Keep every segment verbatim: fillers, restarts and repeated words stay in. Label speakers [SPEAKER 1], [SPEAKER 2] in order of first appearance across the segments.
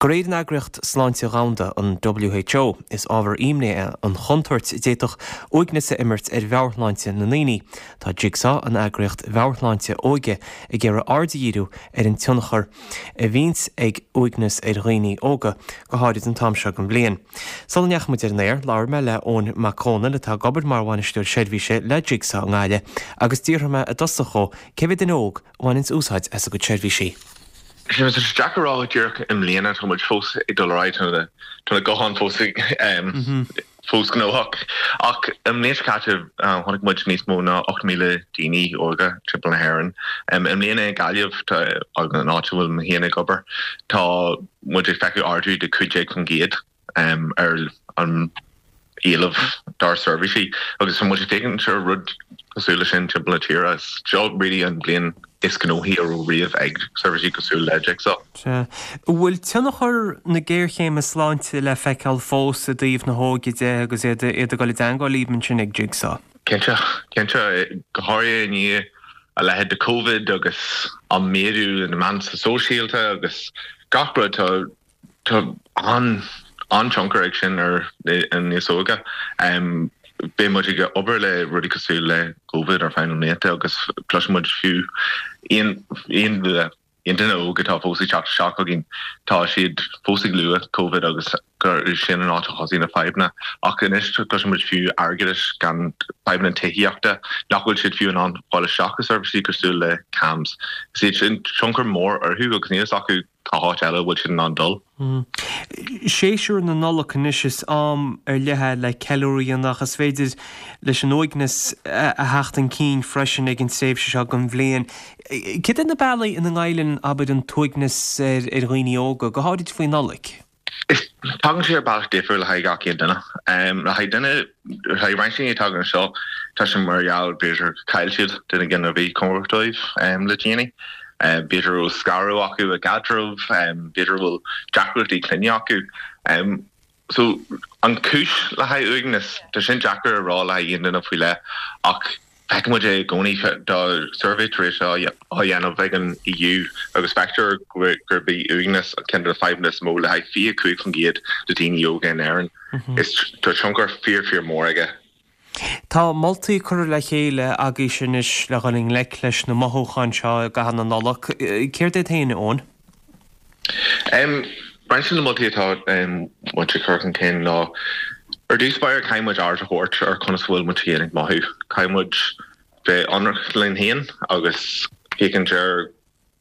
[SPEAKER 1] De réir an Eagraíocht Sláinte Dhomhanda an WHO is ábhar imní é an chontúirt d'fhéadfadh uaigneas a imirt ar mheabhairshláinte na ndaoine. Tá Jigsaw an eagraíocht mheabhairshláinte óige ag iarraidh aird a dhíriú ar an tionchar a bhíonns ag uaigneas ar dhaoine óga go háirid an t-am seo den bhliain. Sula ndeachaigh muid ar an aer labhair mé le Eoin Mac Cónail atá ag obair mar bhainisteoir seirbhíse le Jigsaw i nGaillimh agus d'fhiafraigh mé i dtosach dhó cé mhéad duine óg a bhaineanns úsáid as a gcuid seirbhísí.
[SPEAKER 2] Sé deacair a rá díreach i mbliana tá muid fós ag dul ar aghaidh tá na gutháin fós fós gnóthach ach an bhliain seo caite chonaic muid níos mó ná ocht míle daoine óga timpeall na hÉireann. I mbliana i Gaillimh an áit a bhfuil mé féin ag obair tá muid ag feiceáil ardú de cúig déag faoin gcéad ar an éileamh dár seirbhísí agus tá muid ag féachaint ar rud cosúil leis sin timpeall na tíre. Seo really an bhliain is gnóthaí a raibh riamh ag seirbhísí cosúil le Jigsaw.
[SPEAKER 1] Bhfuil tionchar na géarchéime sláinte le feiceáil fós i dtaobh na hóige de agus iad iad ag dul i dteagmháil libh ansin ag Jigsaw.
[SPEAKER 2] Cinnte cinnte go háirithe i ndiaidh a leithéid de COVID agus an méadú na meán sóisialta agus gach rud tá tá an an-tionchar ag sin ar an níos óige. Um, Beidh muid ag obair le rudaí cosúil le COVID ar feadh na mblianta agus cloisimid fiú aon aon aon duine óg atá fós ag teacht isteach chugainn tá siad fós ag lua COVID agus gur sin an áit a thosaigh na fadhbanna ach anois cloisimid fiú airgeadais gan fadhbanna tithíochta nach bhfuil siad fiú in ann fáil isteach i seirbhísí cosúil le CAMHS. Is iad sin tionchar mór orthu agus níl acu cá háit eile bhfuil siad in ann dul.
[SPEAKER 1] Séasúr na Nollag anois is am ar leith le ceiliúradh ach is féidir leis an uaigneas a theacht chun cinn freisin ag an tréimhse seo den bhliain. Cad iad na bealaí ina ngoilleann abair an t-uaigneas ar ar dhaoine óga, go háirid faoi Nollaig.
[SPEAKER 2] Is tagann sé ar bealach difriúil le haghaidh gach aon duine. Um, le haghaidh duine le haghaidh roinnt daoine tagann seo tá sé mar gheall b'fhéidir chaill siad duine éigin a bhí cóngarach dóibh um, le déanaí. Um, b'fhéidir bhfuil scaradh acu i gcaidreamh, um, b'fhéidir bhfuil deacrachtaí clainne acu. Um, so an cúis le haghaidh uaigneas tá sin deacair a rá le haghaidh aon duine faoi leith ach feicimid é i gcónaí tá suirbhé tar éis á dhéanamh ag an EU agus feictear gurb í uaigneas ceann de na fadhbanna is mó le haghaidh fiche cúig faoin gcéad de daoine óga in Éirinn. Is tá tionchar fíor fíor mór aige.
[SPEAKER 1] Tá moltaí curtha le chéile agaibh anois le dhul i ngleic leis na mothúcháin seo i gcaitheamh na Nollag. Céard iad féin Eoin?
[SPEAKER 2] Um, Roinnt na moltaí atá um, muid ag cur chun cinn ná ar dtús báire caithfidh muid aird a thabhairt ar conas bhfuil muid féin ag mothú. Caithfidh muid bheith ionraic linn féin agus féachaint ar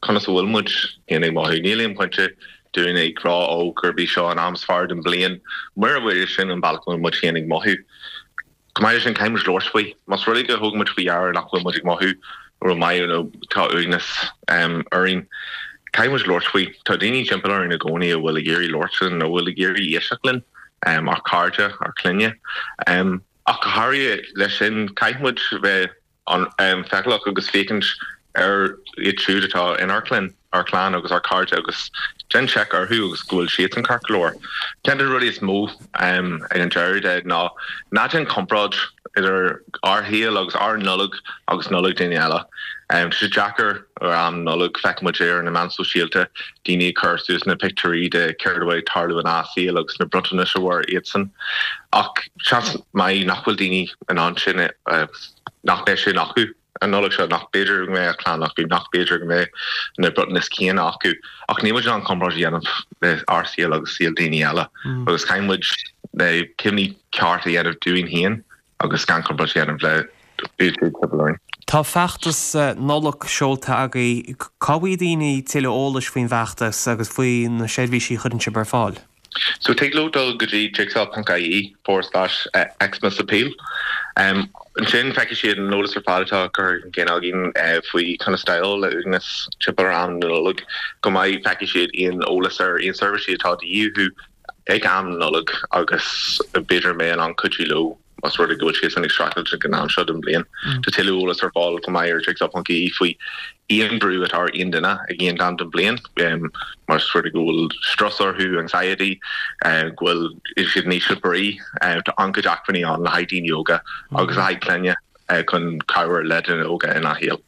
[SPEAKER 2] conas a bhfuil muid féin ag mothú. Níl aon pointe dúinn ag rá ó gurb é seo an am is fearr den bhliain, mura bhfuil sin an bealach bhfuil muid féin ag mothú. Chomh maith leis sin caithfidh muid labhairt faoi. Más rud é go thóg muid faoi deara nach bhfuil muid ag mothú rómhaith nó tá uaigneas um, orainn. Caithfidh muid labhairt faoi Tá daoine timpeall orainn i gcónaí a bhfuil ag iarraidh labhairt linn nó bhfuil ag iarraidh éisteacht linn um, ár cairde ár clainne. Um, ach go háirithe leis sin caithfidh muid bheith an um, feiceálach agus féachaint ar iad siúd atá inár gclann ár clann agus ár cairde agus déan seic orthu agus go bhfuil siad an ceart go leor. Ceann de na rudaí is mó um, ag an deireadh de ná ná déan comparáid idir ár shaol agus ár Nollaig agus Nollaig daoine eile. Um, sé deacair ar am Nollag feicimid ar na meáin sóisialta daoine cur suas na pictiúirí de céard atá ag tarlú ina saol agus na bronntanais a bhfuair iadsan. Ach seans maith nach bhfuil daoine in ann sin uh, nach mbeidh sin acu an Nollaig seo nach b'fhéidir go mbeidh a clann acu nach b'fhéidir go mbeidh na bronntanais céanna acu ach ní muid an comparáid a dhéanamh le ár saol agus saol daoine eile mm. agus caithfidh muid na cinntí ceart a dhéanamh dúinn féin agus gan comparáid a dhéanamh le learn.
[SPEAKER 1] Tá feachtas Nollag seolta agaibh cá bhfaighidh daoine tuilleadh eolais faoin bhfeachtas agus faoi na seirbhísí a chuireann sibh ar fáil.
[SPEAKER 2] So tig leo dul go dtí jigsaw.ie forward slash uh, Xmas appeal. Um, ansin feicfidh siad an eolas ar fad atá curtha chun cinn againn uh, faoi conas déileáil le uaigneas timpeall ar am na Nollag go maith feicfidh siad aon eolas ar aon seirbhísí atá de dhíth ag am Nollag agus b'fhéidir mé an an-chuidiú leo más rud é go bhfuil siad ag streachailt ag an am seo den bhliain. Mm. Tá tuilleadh eolas ar fáil go maith ar jigsaw.ie faoi aon brú atá ar aon duine ag aon am den bhliain um, más rud é go bhfuil strus orthu anxiety uh, go bhfuil siad in ísle brí uh, tá an-chuid acmhainní ann le haghaidh daoine óga agus le haghaidh clainne uh, chun cabhrú le daoine óga ina shaol.